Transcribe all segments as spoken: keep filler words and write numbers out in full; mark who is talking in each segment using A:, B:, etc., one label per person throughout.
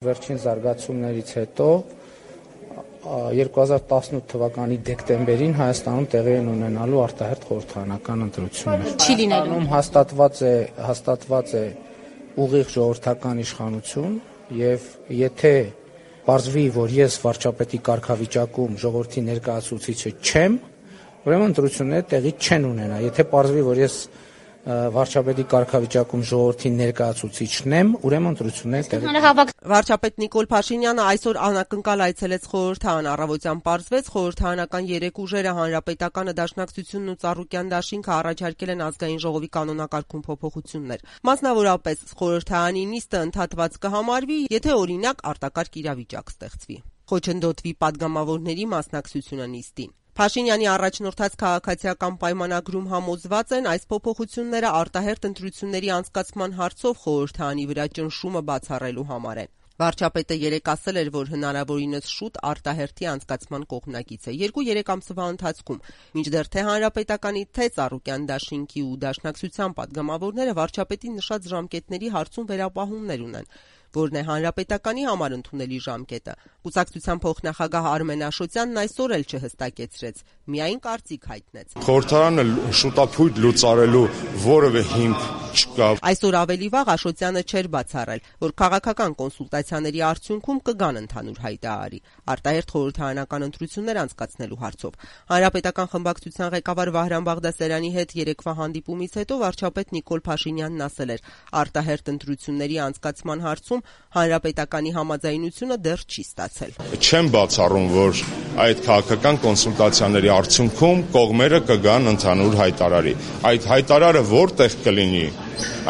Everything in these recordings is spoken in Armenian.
A: Վերջին զարգացումներից հետո երկու հազար տասնութ թվականի դեկտեմբերին Հայաստանում տեղի են ունենալու արտահերթ խորհրդարանական ընտրություններ։
B: Չի լինելու։
A: Հաստատված է հաստատված է ուղիղ ժողովրդական իշխանություն եւ եթե պարզվի, որ ես վարչապետի կարգավիճակում ժողովրդի ներկայացուցիչը չեմ, ուրեմն ընտրությունները տեղի չեն ունենա։ Եթե պարզվի, որ ես վարչապետի կարգավիճակում ժողովրդի ներկայացուցիչն եմ, ուրեմն ընտրությունները տեղի
B: Վարչապետ Նիկոլ Փաշինյանը այսօր անակնկալ այցելեց խորհրդարան, առավոտյան պարզվեց խորհրդարանական երեք ուժերը Հանրապետականը, Դաշնակցությունն ու Ծառուկյան դաշինքը առաջարկել են ազգային ժողովի կանոնակարգում փոփոխություններ։ Մասնավորապես խորհրդարանի նիստը ընդհատված կհամարվի, եթե օրինակ արտակարգ իրավիճակ ստեղծվի։ Խոչընդոտվի падգամավորների մասնակցությունը նիստին։ Փաշինյանի առաջնորդած քաղաքացիական պայմանագրում համոզված են այս փոփոխությունները արտահերթ ընտրությունների անցկացման հարցով խորհրդարանի վրա ճնշումը բացառելու համար են։ Վարչապետը երեկ ասել էր, որ հնարավորինս շուտ արտահերթի անցկացման կողմնակից է։ Երկու-երեք ամսվա ընթացքում, մինչդեռ թե Հանրապետականի, թե Ծառուկյան դաշինքի ու Դաշնակցության падգամավորները վարչապետի նշած ժամկետների հարցում վերապահումներ ունեն, որն է Հանրապետականի համար ընդունելի ժամկետը։ Կուսակցության փոխնախագահ Արմեն Աշոտյանն այսօր էլ չհստակեցրեց, միայն կարծիք հայտնեց։
C: Խորհրդարանը շուտափույթ լուծարելու որևէ հիմք չկա։
B: Այսօր ավելի վաղ Աշոտյանը չէր բացառել, որ քաղաքական կոնսուլտացիաների արդյունքում կգան ընդհանուր հայտարարի արտահերթ խորհրդարանական ընտրություններ անցկացնելու հարցով։ Հանրապետական խմբակցության ղեկավար Վահրամ Բաղդասարյանի հետ երեկվա հանդիպումից հետո վարչապետ Նիկոլ Փաշինյանն ասել էր. արտահերթ ընտրությունների անցկացման հարցում Հանրապետականի համաձայնությունը դեռ չի ստացել։
C: Չեմ բացառում, որ այդ քաղաքական կոնսուլտացիաների արդյունքում կողմերը կգան ընդհանուր հայտարարի։ Այդ հայտարարը որտեղ կլինի,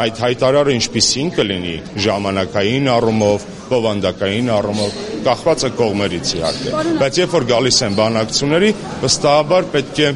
C: այդ հայտարարը ինչպիսին կլինի, ժամանակային առումով, բովանդակային առումով, կախված է կողմերից իհարկե։ Բայց երբ որ գալիս են բանակցությունների, վստահաբար պետք է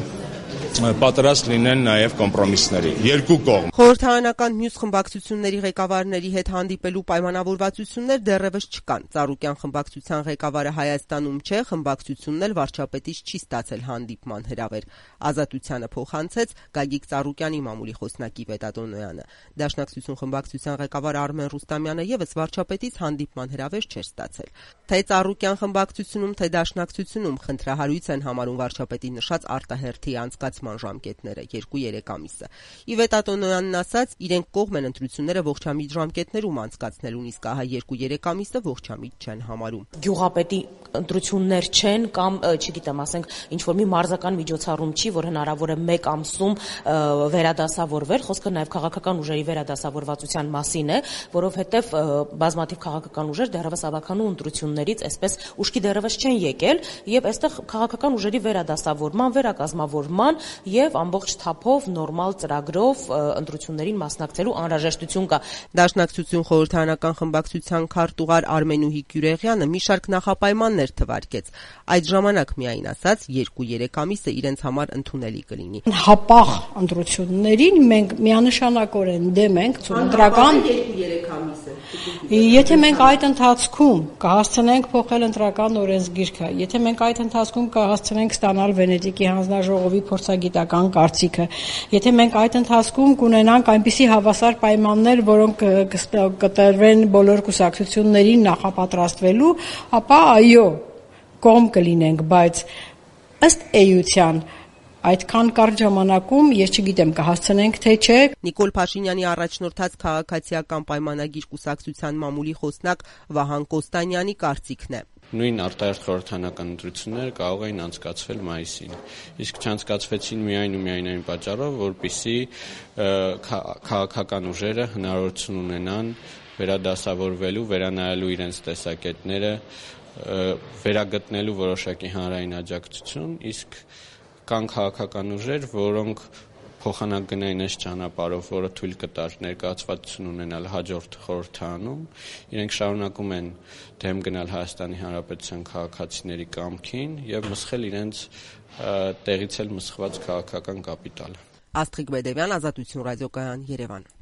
C: պատրաստ լինեն նաև կոմպրոմիսների, երկու կողմ։
B: Խորհրդարանական մյուս խմբակցությունների ղեկավարների հետ հանդիպելու պայմանավորվածություններ դեռևս չկան։ Ծառուկյան խմբակցության ղեկավարը Հայաստանում չէ, խմբակցությունն էլ վարչապետից չի ստացել հանդիպման հրավեր։ Ազատությանը փոխանցեց Գագիկ Ծառուկյանի մամուլի խոսնակի Պետատոնոյանը։ Դաշնակցություն խմբակցության ղեկավար Արմեն Ռուստամյանը եւս վարչապետից հանդիպման հրավեր չէր ստացել։ Թե Ծառուկյան խմբակցությունում, թե Դաշնակցությունում խնդրահարույց են համարում վարչապետի նշած արտահերթի անցկացման ժամկետները երկու-երեք ամիսը։ Ի Պետատոնոյանն ասաց, իրենք կողմ են ընտրությունները ողջամիտ ժամկետներում անցկացնելուն, իսկ ահա երկու-երեք ամիսը ողջամիտ չեն համարում։
D: Գյուղապետի ընտրություններ չեն կամ, չգիտեմ, ասենք, ինչ որ մի մարզական միջոցառում չի, որ հնարավոր է մեկ ամսում վերադասավորվել, խոսքը նաև քաղաքական ուժերի վերադասավորվածության մասին է, որովհետև բազմաթիվ քաղաքական ուժեր դեռևս ավականու ընտրություններից այսպես ուշքի դեռևս չեն եկել, եւ այստեղ քաղաքական ուժերի վերադասավորման, վերակազմավորման եւ ամբողջ թափով նորմալ ծրագրով ընտրություններին մասնակցելու անհրաժեշտություն կա։
B: Դաշնակցություն խորհրդարանական խմբակցության քարտուղար Արմենուհի Գյուրեղյանը մի շարք նախապայմաններ թվարկեց։ Այդ ժամանակ միայն ասաց, երկու-երեք ամիսը իրենց համար ընդունելի կլինի։
E: Հապաղ ընտրություններին մենք միանշանակորեն դեմ ենք ընտրական
B: երկու-երեք ամիսը։
E: Եթե մենք այդ ընթացքում կհասցնենք փոխել ընտրական օրենսգիրքը, եթե մենք այդ ընթացքում կհասցնենք ստանալ Վենետիկի հանձնաժողովի փորձագիտական կարծիքը, եթե մենք այդ ընթացքում կունենանք այնպիսի հավասար պայմաններ, որոնք կտրվեն բոլոր կուսակցություններին նախապատրաստվելու, ապա այո, կողմ կլինենք, բայց ըստ էության այդքան կարճ ժամանակում ես չգիտեմ կհասցնենք թե չէ։
B: Նիկոլ Փաշինյանի առաջնորդած քաղաքացիական պայմանագիր կուսակցության մամուլի խոսնակ Վահան Կոստանյանի կարծիքն է։
F: Նույն արտահերթ խորհրդարանական ընտրությունները կարող էին անցկացվել մայիսին, իսկ չանցկացվեցին միայն ու միայն այն պատճառով, որպեսզի քաղաքական ուժերը հնարավորություն ունենան վերադասավորվելու, վերանայելու իրենց տեսակետները, վերագտնելու որոշակի հանրային աջակցություն, իսկ կան քաղաքական ուժեր, որոնք փոխանակ գնային այս ճանապարհով, որը թույլ կտար ներկայացվածություն ունենալ հաջորդ խորհրդարանում, իրենք շարունակում են դեմ գնալ Հայաստանի Հանրապետության քաղաքացիների կամքին եւ մսխել իրենց տեղից էլ մսխված քաղաքական կապիտալը։
B: Աստղիկ Բեդևյան, Ազատություն ռադիոկայան, Երևան։